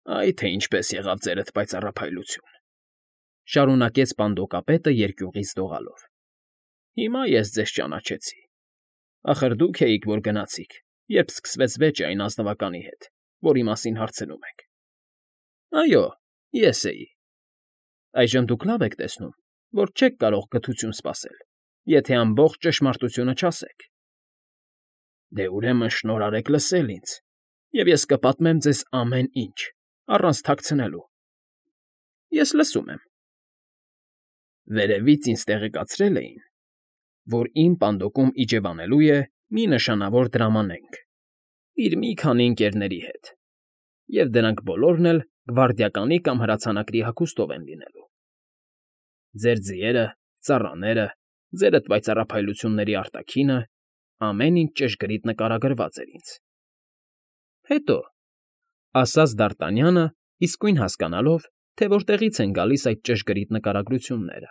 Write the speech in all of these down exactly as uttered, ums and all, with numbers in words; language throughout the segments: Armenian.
Այ թե ինչպես եղավ ձերդ պայծառափայլություն,֊ շարունակեց պանդոկապետը երկյուղից դողալով։֊ Հիմա ես ձեզ ճանաչեցի. ախր դուք էիք, որ գնացիք, երբ սկսվեց վեճը այն ազնվականի հետ, որի մասին հարցնում եք։ Այո, ես էի։ Այժմ դուք լավ եք տեսնում, որ չեք կարող գթություն սպասել, եթե ամբողջ ճշմարտությունը չասեք։ Դե ուրեմն շնորհ արեք լսել ինձ, և ես կպատմեմ ձեզ ամեն ինչ, առանց թաքցնելու։ Ես լսում եմ։ Վերևից ինձ տեղեկացրել էին, որ իմ պանդոկում իջևանելու է մի նշանավոր դրամանենք իր մի քանի ընկերների հետ, և դրանք բոլորն էլ գվարդիականի կամ հրացանակրի հագուստով են լինելու։ Ձեր ձիերը, ծառաները, ձերդ պայծառափայլությունների արտաքինը, ամեն ինչ ճշգրիտ նկարագրված էր ինձ։ Հետո, ասաց Դարտանյանը, իսկույն հասկանալով, թե որտեղից են գալիս այդ ճշգրիտ նկարագրությունները։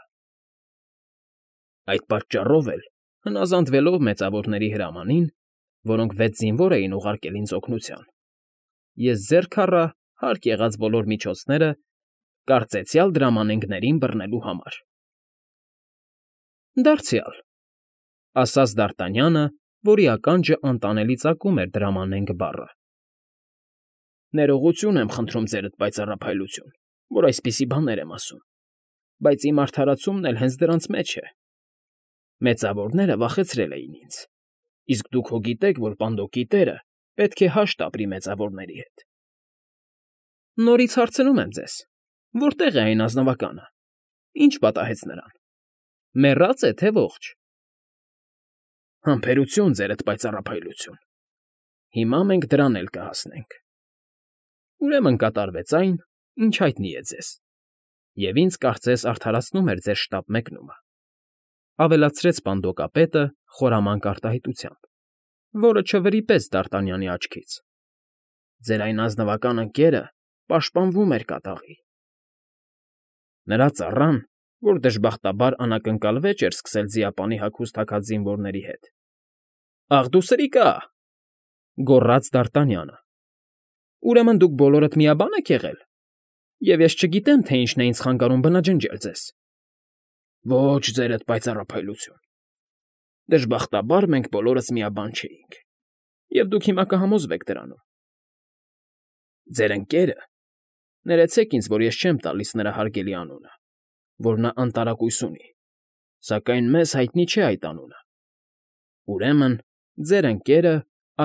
Այդ պատճառով էլ, հնազանդվելով մեծավորների հրամանին, որոնք վեց զինվոր էին ուղարկել ինձ օգնության, ես ձեռք առա հարկ եղած բոլոր միջոցները կարծեցյալ դրամանենգներին բռնելու համար։ Դարձյալ,֊ ասաց Դարտանյանը, որի ականջը անտանելի ծակում էր դրամանենք բառը։ Ներողություն եմ խնդրում ձերդ պայծառափայլություն, որ այսպիսի բաներ եմ ասում, բայց իմ արդարացումն էլ հենց դրանց մեջ է։ Մեծավորները վախեցրել էին ինձ, իսկ դուք հո գիտեք, որ պանդոկի տերը պետք է հաշտ ապրի մեծավորների հետ։ Նորից հարցնում եմ ձեզ. որտե՞ղ է այն ազնվականը, ինչ պատահեց նրան, մեռա՞ծ է, թե ողջ։ Համբերություն, ձերդ պայծառափայլություն, հիմա մենք դրան էլ կհասնենք։ Ուրեմն կատարվեց այն, ինչ հայտնի է ձեզ, և ինձ կարծես արդարացնում էր ձեր շտապ մեկնումը,֊ ավելացրեց պանդոկապետը խորամանկ արտահայտությամբ, որը չվրիպեց Դարտանյանի աչքից։ Ձեր այն ազնվական ընկերը պաշտպանվում էր կատաղի։ Նրա ծառան, որ դժբախտաբար անակնկալ վեճ էր սկսել ձիապանի հագուստ հագած զինվորների հետ։ Ախ դու սրիկա,֊ գոռաց Դարտանյանը,֊ ուրեմն դուք բոլորդ միաբան եք եղել, և ես չգիտեմ, թե ինչն է ինձ խանգարում բնաջնջել ձեզ։ Ոչ, ձերդ պայծառափայլություն, դժբախտաբար մենք բոլորս միաբան չէինք, և դուք հիմա կհամոզվեք դրանում։ Ձեր ընկերը, ներեցեք ինձ, որ ես չեմ տալիս նրա հարգելի անունը, որ նա անտարակույս ունի, սակայն մեզ հայտնի չէ այդ անունը։ Ուրեմն, ձեր ընկերը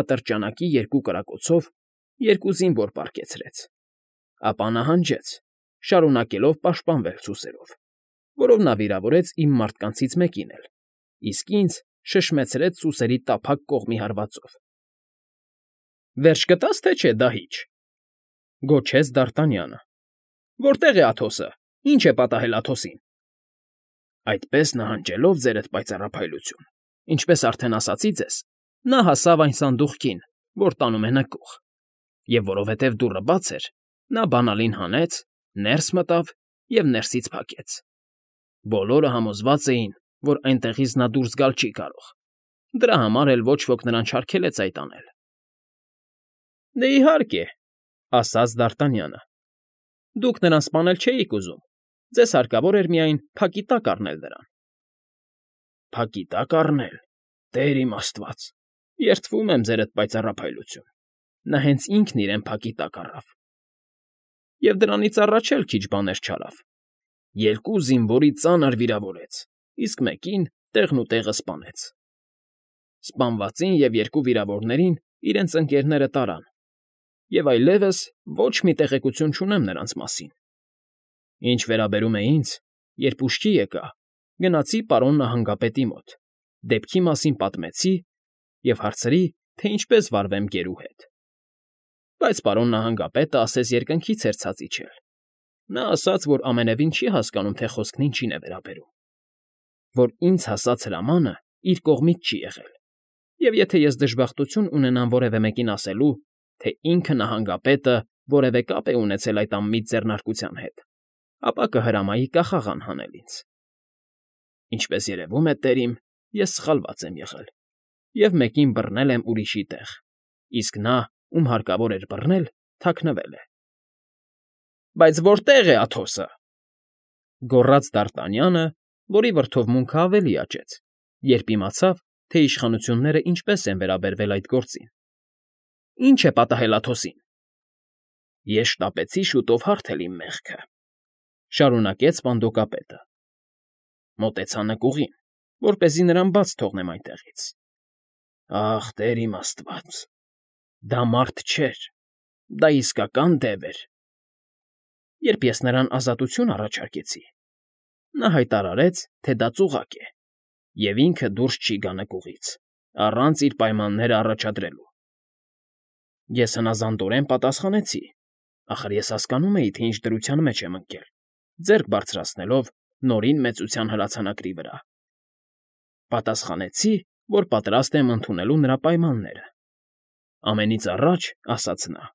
ատրճանակի երկու կրակոցով երկու զինվոր պառկեցրեց, ապա նահանջեց, շարունակելով պաշտպանվել սուսերով, որով նա վիրավորեց իմ մարդկանցից մեկին էլ, իսկ ինձ շշմեցրեց սուսերի տափակ կողմի հարվածով։ Վերջ կտա՞ս, թե չէ, դահիճ,֊ գոչեց Դարտանյանը։ Որտե՞ղ է Աթոսը, ինչ է պատահել Աթոսին։ Այդպես նահանջելով, ձերդ պայծառափայլություն, ինչպես արդեն ասացի ձեզ, նա հասավ այն սանդուղքին, որ տանում է նկուղ, և որովհետև դուռը բաց էր, նա բանալին հանեց, ներս մտավ և ներսից փակեց։ Բոլորը համոզված էին, որ այնտեղից նա դուրս գալ չի կարող, դրա համար էլ ոչ ոք նրան չարգելեց այդ անել։ Դե իհարկե,֊ ասաց Դարտանյանը,֊ դուք նրան սպանել չէիք ուզում, ձեզ հարկավոր էր միայն փակի տակ առնել նրան։ Փակի տակ առնել, Տեր իմ աստված, երդվում եմ, ձերդ պայծառափայլություն, նա հենց ինքն իրեն փակի տակ առավ։ Եվ դրանից առաջ էլ քիչ բաներ չարավ. երկու զինվորի ծանր վիրավորեց, իսկ մեկին տեղնուտեղը սպանեց։ Սպանվածին և երկու վիրավորներին իրենց ընկերները տարան, և այլևս ոչ մի տեղեկություն չունեմ նրանց մասին։ Ինչ վերաբերում է ինձ, երբ ուշքի եկա, գնացի պարոն նահանգապետի մոտ, դեպքի մասին պատմեցի և հարցրի, թե ինչպես վարվեմ գերու հետ։ Բայց պարոն նահանգապետը ասես երկնքից էր ցած իջել։ Նա ասաց, որ ամենևին չի հասկանում, թե խոսքն ինչին է վերաբերում, որ ինձ հասած հրամանը իր կողմից չի եղել, և եթե ես դժբախտություն ունենամ որևէ մեկին ասելու, թե ինքը նահանգապետը որևէ կապ է ունեցել այդ անմիտ ձեռնարկության հետ, ապա կհրամայի կախաղան հանել ինձ։ Ինչպես երևում է, տեր իմ, ես սխալված եմ եղել և մեկին բռնել եմ ուրիշի տեղ, իսկ նա, ում հարկավոր էր բռնել, թաքնվել է։ Բայց որտե՞ղ է Աթոսը,֊ գոռաց Դարտանյանը, որի վրդովմունքը ավելի աճեց, երբ իմացավ, թե իշխանություններն ինչպես են վերաբերվել այդ գործին։ ֊ Ի՞նչ է պատահել Աթոսին։ ֊ Ես շտապեցի շուտով հարթել իմ մեղքը,֊ շարունակեց պանդոկապետը. մոտեցա նկուղին, որպեսզի նրան բաց թողնեմ այնտեղից։ Ախ, Տեր իմ Աստված, դա մարդ չէր, դա իսկական դև էր։ Երբ ես նրան ազատություն առաջարկեցի, նա հայտարարեց, թե դա ծուղակ է, և ինքը դուրս չի գա նկուղից, առանց իր պայմանները առաջադրելու։ Ես հնազանդորեն պատասխանեցի, ախր ես հասկանում էի, թե ինչ դրության մեջ եմ ընկել, ձեռք բարձրացնելով Նորին Մեծության հրացանակրի վրա։ Պատասխանեցի, որ պատրաստ եմ ընդունելու նրա պայմանները։ Ամենից առաջ, ասաց նա,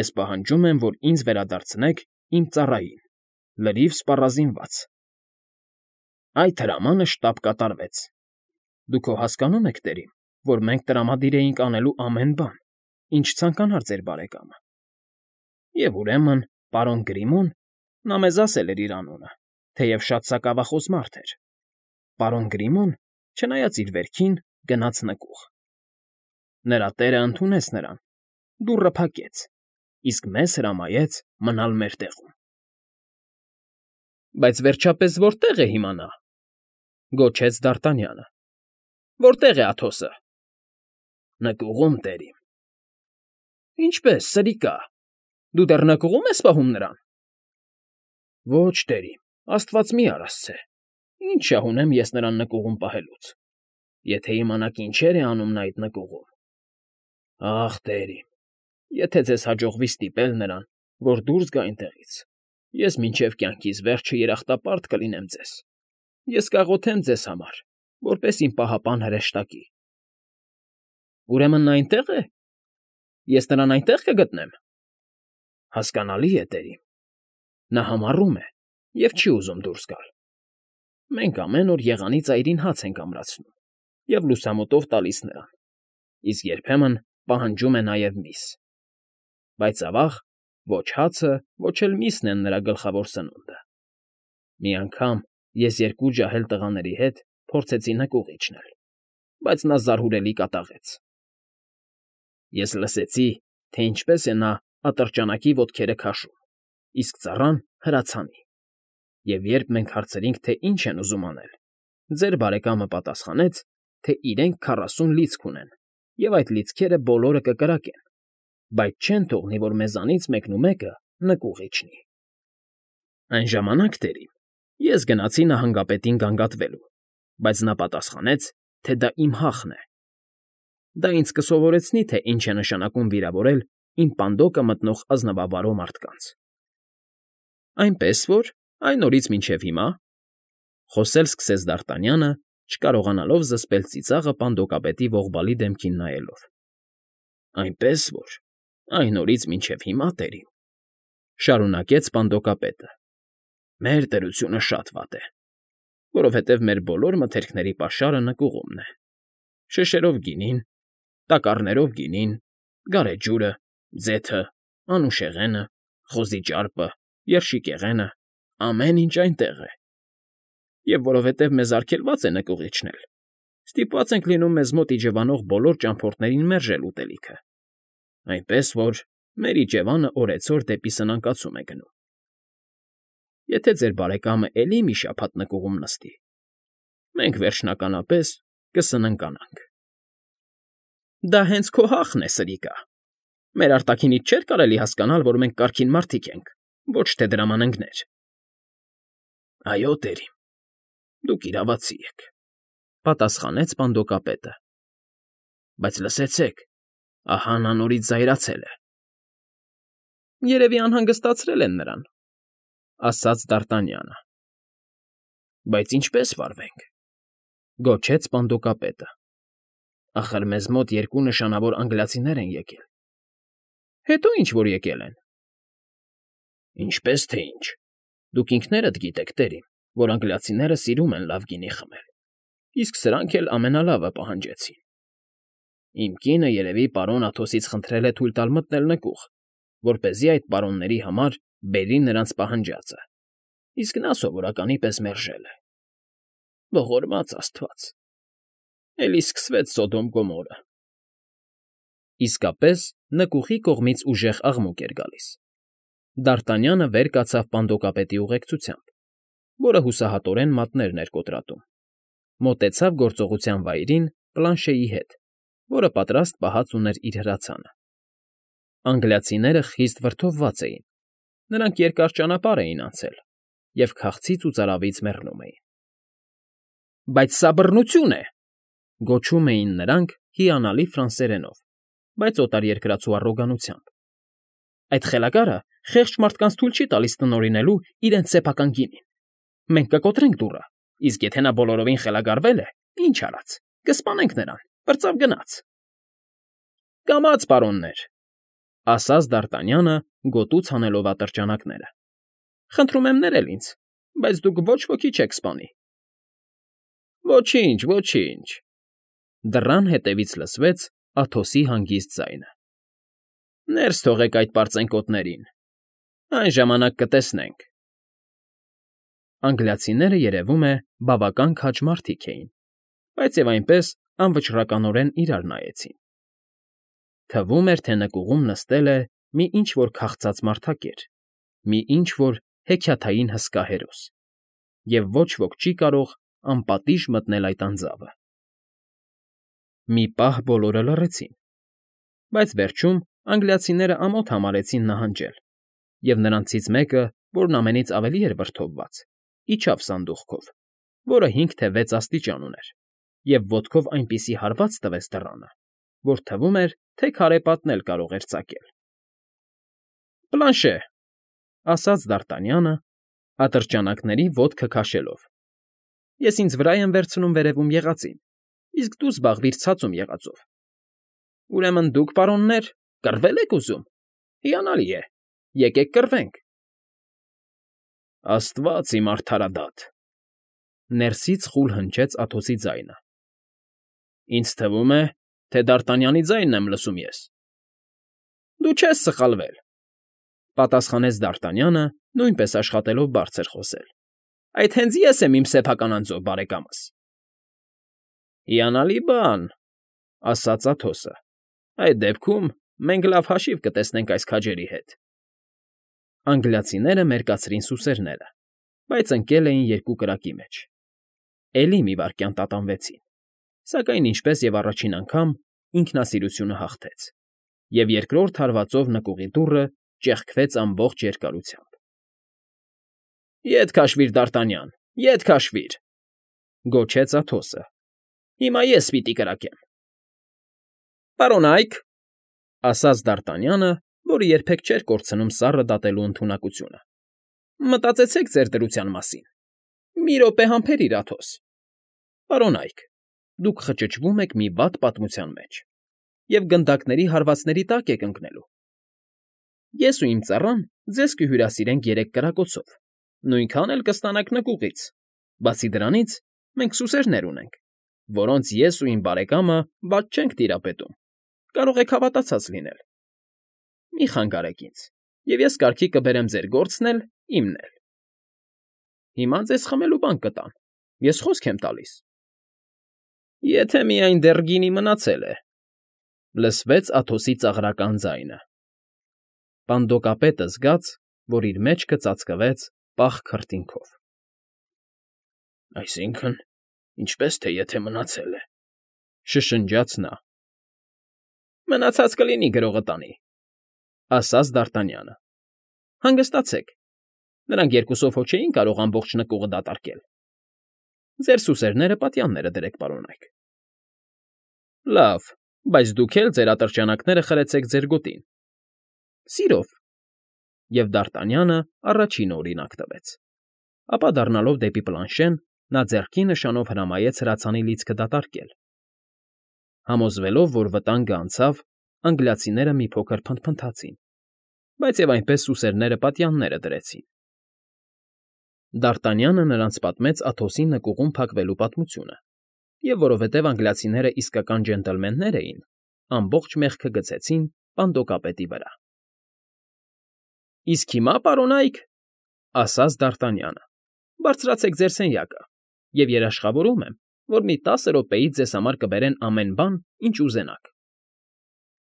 ես պահանջում եմ, որ ինձ վերադարձնեք իմ ծառային, լրիվ սպառազինված։ Այդ հրամանը շտապ կատարվեց։ Դուք հո հասկանո՞ւմ եք, տերիմ, որ մենք տրամադիր էինք անելու ամեն բան, ինչ ցանկանար ձեր բարեկամը։ Եվ ուրեմն, պարոն Գրիմոն, նա մեզ ասել էր իր անունը, թեև շատ սակավախոս մարդ էր, պարոն Գրիմոն, չնայած իր վերքին, գնաց նկուղ։ Նրա տերը ընդունեց նրան, դուռը փակեց, իսկ մեզ հրամայեց մնալ մեր տեղում։ ֊ Բայց վերջապես որտե՞ղ է հիմա նա,֊ գոչեց Դարտանյանը։ Որտե՞ղ է Աթոսը։ ֊ Նկուղում, տերիմ։ ֊ Ինչպե՞ս, սրիկա, դու դեռ նկուղում ես պահում նրան։ ֊ Ոչ, տերիմ, աստված մի արասցե, ինչ շահ ունեմ ես նրան նկուղում պահելուց, եթե իմանաք ինչեր է անում նա այդ նկուղում։ Ախ, տերիմ, եթե ձեզ հաջողվի ստիպել նրան, որ դուրս գա այնտեղից, ես մինչև կյանքիս վերջը երախտապարտ կլինեմ ձեզ, ես կաղոթեմ ձեզ համար, որպես իմ պահապան հրեշտակի։ ֊ Ուրեմն նա այնտե՞ղ է։ Ես նրան այնտեղ կգտնեմ։ ֊ Հասկանալի է, տերիմ, նա համառում է և չի ուզում դուրս գալ։ Մենք ամեն օր եղանի ծայրին հաց ենք ամրացնում և լուսամուտով տալիս նրան, իսկ երբեմն պահանջում է նաև միս։ Բայց ավաղ ոչ հացը, ոչ էլ միսն են նրա գլխավոր սնունդը։ Մի անգամ ես երկու ջահել տղաների հետ փորձեցի նկուղ իջնել, բայց նա զարհուրելի կատաղեց։ Ես լսեցի, թե ինչպես է նա ատրճանակի ոտքերը քաշում, իսկ ծառան հրացանի։ Եվ երբ մենք հարցրինք, թե ինչ են ուզում անել, ձեր բարեկամը պատասխանեց, թե իրենք քառասուն լիցք ունեն, և այդ լիցքերը բոլորը կկրակեն, բայց չեն թողնի, որ մեզանից մեկնումեկը նկուղ իջնի։ Այն ժամանակ, տերիմ, ես գնացի նահանգապետին գանգատվելու, բայց նա պատասխանեց, թե դա իմ հախն է։ Դա ինձ կսովորեցնի, թե ինչ է նշանակում վիրավորել իմ պանդոկը մտնող ազնվավարո մարդկանց։ Այնպես որ, այն օրից մինչև հիմա,֊ խոսել սկսեց Դարտանյանը, չկարողանալով զսպել ծիծաղը պանդոկապետի ողբալի դեմքին նայելով։ ֊ Այնպես որ, այն օրից մինչև հիմա, տերիմ,֊ շարունակեց պանդոկապետը,֊ մեր դրությունը շատ վատ է, որովհետև մեր բոլոր մթերքների պաշարը նկուղումն է. շշերով գինին, տակառներով գինին, գարեջուրը, ձեթը, անուշեղենը, խոզի ճարպը, երշիկեղենը, ամեն ինչ այնտեղ է։ Եվ որովհետև մեզ արգելված է նկուղ իջնել, ստիպված ենք լինում մեզ մոտ իջևանող բոլոր ճամփորդներին մերժել ուտելիքը, այնպես որ մեր իջևանը օրեցօր դեպի սնանկացում է գնում։ Եթե ձեր բարեկամը էլի մի շաբաթ նկուղում նստի, մենք վերջնականապես կսննկանանք։ ֊ Դա հենց քո հախն է, սրիկա։ Մեր արտաքինից չէր կարելի հասկանալ, որ մենք կարգին մարդիկ ենք, ոչ թե դրամանենգներ։ ֊ Այո, տերիմ, դուք իրավացի եք,֊ պատասխանեց պանդոկապետը։ ֊ Բայց լսեցեք, ահա նա նորից զայրացել է։ ֊ Երևի անհանգստացրել են նրան,֊ ասաց Դարտանյանը։ ֊ Բայց ինչպե՞ս վարվենք,֊ գոչեց պանդոկապետը։ ֊ Ախր մեզ մոտ երկու նշանավոր անգլիացիներ են եկել։ ֊ Հետո ինչ որ եկել են։ ֊ Ինչպես թե ինչ, դուք ինքներդ գիտեք, տերիմ, որ անգլիացիները սիրում են լավ գինի խմել, իսկ սրանք էլ ամենալավը պահանջեցին։ Իմ կինը երևի պարոն Աթոսից խնդրել է թույլ տալ մտնել նկուղ, որպեսզի այդ պարոնների համար բերի նրանց պահանջածը, իսկ նա սովորականի պես մերժել է։ Ողորմած աստված… Էլի սկսվեց Սոդոմ֊Գոմորը… Իսկապես, նկուղի կողմից ուժեղ աղմուկ էր գալիս։ Դարտանյանը վեր կացավ պանդոկապետի ուղեկցությամբ, որը հուսահատորեն մատներն էր կոտրատում, մոտեցավ գործողության վայրին Պլանշեի հետ, որը պատրաստ պահած ուներ իր հրացանը։ Անգլիացիները խիստ վրդովված էին, նրանք երկար ճանապարհ էին անցել և քաղցից ու ծարավից մեռնում էին։ ֊ Բայց սա բռնություն է,֊ գոչում էին նրանք հիանալի ֆրանսերենով, բայց օտարերկրացու առոգանությամբ։ Այդ խելագարը խեղճ մարդկանց թույլ չի տալիս տնօրինելու իրենց սեփական գինին։ Մենք կկոտրենք դուռը, իսկ եթե նա բոլորովին խելագարվել է, ինչ արած, կսպանենք նրան, պրծավ գնաց։ ֊ Կամաց, պարոններ,֊ ասաց Դարտանյանը, գոտուց հանելով ատրճանակները։ Խնդրում եմ ներել ինձ, բայց դուք ոչ ոքի չեք սպանի։ ֊ Ոչինչ, ոչինչ,֊ դռան հետևից լսվեց Աթոսի հանգիստ ձայնը։ Ներս թողեք այդ պարծենկոտներին, այն ժամանակ կտեսնենք։ Անգլիացիները, երևում է, բավական քաջ մարդիկ էին, բայց և այնպես անվճռականորեն իրար նայեցին։ Թվում էր, թե նկուղում նստել է մի ինչ֊որ քաղցած մարդակեր, մի ինչ֊որ հեքիաթային հսկա հերոս, և ոչ ոք չի կարող անպատիժ մտնել այդ անձավը։ Մի պահ բոլորը լռեցին, բայց վերջում անգլիացիները ամոթ համարեցին նահանջել, և նրանցից մեկը, որն ամենից ավելի էր վրդովված, իջավ սանդուղքով, որը հինգ թե վեց աստիճան ուներ, և ոտքով այնպիսի հարված տվեց դռանը, որ թվում էր, թե քարե պատն էլ կարող էր ծակել։ ֊ Պլանշե,֊ ասաց Դարտանյանը, ատրճանակների ոտքը քաշելով,֊ ես ինձ վրա եմ վերցնում վերևում եղածին, իսկ դու զբաղվիր ցածում եղածով։ Ուրեմն դուք, պարոններ, կռվե՞լ եք ուզում։ Հիանալի է, եկեք կռվենք։ ֊ Աստվա՜ծ իմ արդարադատ,֊ ներսից խուլ հնչեց Աթոսի ձայնը։ Ինձ թվում է, թե Դարտանյանի ձայնն եմ լսում ես։ ֊ Դու չես սխալվել,֊ պատասխանեց Դարտանյանը, նույնպես աշխատելով բարձր խոսել։ Այդ հենց ես եմ իմ սեփական անձով, բարեկամս։ ֊ Հիանալի բան,֊ ասաց Աթոսը։ Այդ դեպքում մենք լավ հաշիվ կտեսնենք այս քաջերի հետ։ Անգլիացիները մերկացրին սուսերները, բայց ընկել էին երկու կրակի մեջ։ Էլի մի վայրկյան տատանվեցին, սակայն ինչպես և առաջին անգամ ինքնասիրությունը հաղթեց, և երկրորդ հարվածով նկուղի դուռը ճեղքվեց ամբողջ երկարությամբ։ ֊ Ետ քաշվիր, Դարտանյան, ետ քաշվիր,֊ գոչեց Աթոսը։ Հիմա ես պիտի կրակեմ։ ֊ Պարոնա՜յք,֊ ասաց Դարտանյանը, որը երբեք չէր կորցնում սառը դատելու ընդունակությունը,֊ մտածեցեք ձեր դրության մասին։ Մի րոպե համբերիր, Աթոս։ Պարոնա՜յք, դուք խճճվում եք մի վատ պատմության մեջ և գնդակների հարվածների տակ եք ընկնելու։ Ես ու իմ ծառան ձեզ կհյուրասիրենք երեք կրակոցով, նույնքան էլ կստանաք նկուղից։ Բացի դրանից, մենք սուսերներ ունենք, որոնց ես ու իմ բարեկամը վատ չենք տիրապետում, կարող եք հավատացած լինել։ Մի խանգարեք ինձ, և ես կարգի կբերեմ ձեր գործն էլ, իմն էլ։ Հիմա ձեզ խմելու բան կտամ, ես խոսք եմ տալիս։ ֊ Եթե միայն դեռ գինի մնացել է,֊ լսվեց Աթոսի ծաղրական ձայնը։ Պանդոկապետը զգաց, որ իր մեջքը ծածկվեց պաղ քրտինքով։ ֊ Այսինքն՝ ինչպես թե եթե մնացել է,֊ շշնջաց նա։ ֊ Մնացած կլինի գրողը տանի,֊ ասաց Դարտանյանը։ ֊ Հանգստացեք, նրանք երկուսով հո չէին կարող ամբողջ նկուղը դատարկել։ Ձեր սուսերները պատյանները դրեք, պարոնայք։ ֊ Լավ, բայց դուք էլ ձեր ատրճանակները խրեցեք ձեր գոտին։ ֊ Սիրով,֊ և Դարտանյանը առաջինը օրինակ տվեց։ Ապա դառնալով դեպի Պլանշեն, նա ձեռքի նշանով հրամայեց հրացանի լիցքը դատարկել։ Համոզվելով, որ վտանգը անցավ, անգլիացիները մի փոքր փնթփնթացին, բայց և այնպես սուսերները պատյանները դրեցին։ Դարտանյանը նրանց պատմեց Աթոսի նկուղում փակվելու պատմությունը, և որովհետև անգլիացիները իսկական ջենտլմեններ էին, ամբողջ մեղքը գցեցին պանդոկապետի վրա։ Իսկ հիմա, պարոնայք, ասաց Դ'Արտանյանը, բարձրացեք ձեր սենյակը, և երաշխավորում եմ, որ մի տասը րոպեից ձեզ համար կբերեն ամեն բան, ինչ ուզենաք։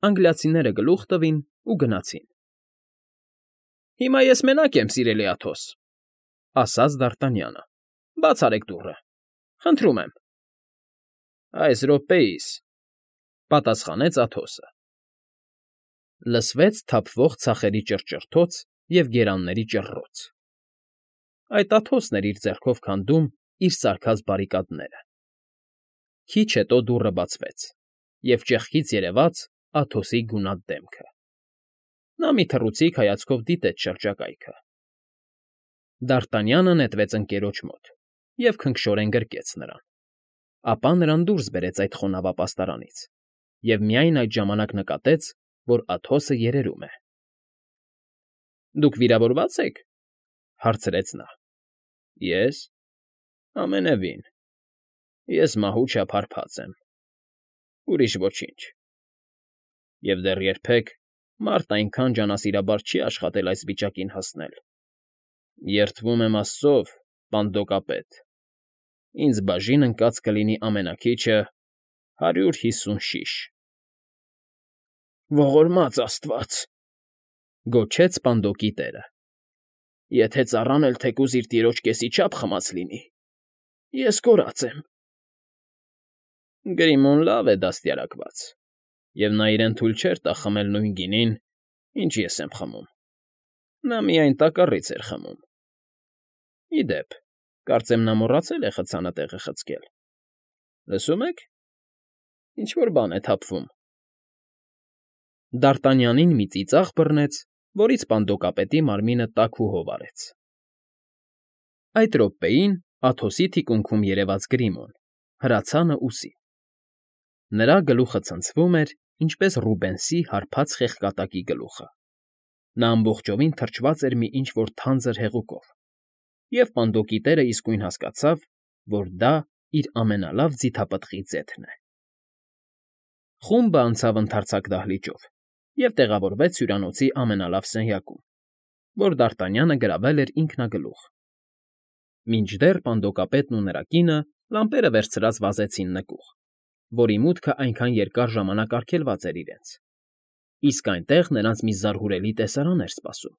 Անգլիացիները գլուխ տվին ու գնացին։ ֊ Հիմա ես մենակ եմ, սիրելի Աթոս,֊ ասաց Դ'Արտանյանը,֊ բաց արեք դուռը, խնդրում եմ։ ֊ Այս րոպեիս,֊ պատասխանեց Աթոսը։ Լսվեց թափվող ցախերի ճռճռթոց և գերանների ճռռոց. այդ Աթոսն էր իր ձեռքով քանդում իր սարքած բարիկադները։ Քիչ հետո դուռը բացվեց, և ճեղքից երևաց Աթոսի գունատ դեմքը։ Նա մի թռուցիկ հայացքով դիտեց շրջակայքը։ Դ'Արտանյանը նետվեց ընկերոջ մոտ և քնքշորեն գրկեց նրան, ապա նրան դուրս բերեց այդ խոնավ ապաստարանից և միայն այդ ժամանակ նկատեց, որ Աթոսը երերում է։ ֊ Դուք վիրավորվա՞ծ եք,֊ հարցրեց նա։ ֊ Ե՞ս, ամենևին, ես մահու չափ հարբած եմ, ուրիշ ոչինչ։ Եվ դեռ երբեք մարդ այնքան ջանասիրաբար չի աշխատել այս վիճակին հասնել։ Երդվում եմ Աստծով, պանդոկապետ, ինձ բաժին ընկած կլինի ամենաքիչը հարյուր հիսուն շիշ։ ֊ Ողորմա՜ծ աստված,֊ գոչեց պանդոկի տերը,֊ եթե ծառան էլ թեկուզ իր տիրոջ կեսի չափ խմած լինի, ես կորած եմ։ Գրիմոն լավ է դաստիարակված, և նա իրեն թույլ չէր տա խմել նույն գինին, ինչ ես եմ խմում. նա միայն տակառից էր խմում։ Ի դեպ, կարծեմ նա մոռացել է խցանը տեղը խցկել։ Լսում ե՞ք, ինչ֊որ բան է թափվում։ Դ'Արտանյանին մի ծիծաղ բռնեց, որից պանդոկապետի մարմինը տաքուհով արեց։ Այդ րոպեին Աթոսի թիկունքում երևաց Գրիմոն, հրացանը ուսի. նրա գլուխը ցնցվում էր, ինչպես Ռուբենսի հարբած խեղկատակի գլուխը։ Նա ամբողջովին թրջված էր մի ինչ֊որ թանձր հեղուկով, և պանդոկի տերն իսկույն հասկացավ, որ դա իր ամենալավ ձիթապտղի ձեթն է։ Խումբը անցավ ընդարձակ դահլիճով և տեղավորվեց հյուրանոցի ամենալավ սենյակում, որ Դ'Արտանյանը գրավել էր ինքնագլուխ։ Մինչդեռ պանդոկապետն ու նրա կինը լամպերը վերցրած վազեցին նկուղ, որի մուտքը այնքան երկար ժամանակ արգելված էր իրենց, իսկ այնտեղ նրանց մի զարհուրելի տեսարան էր սպասում։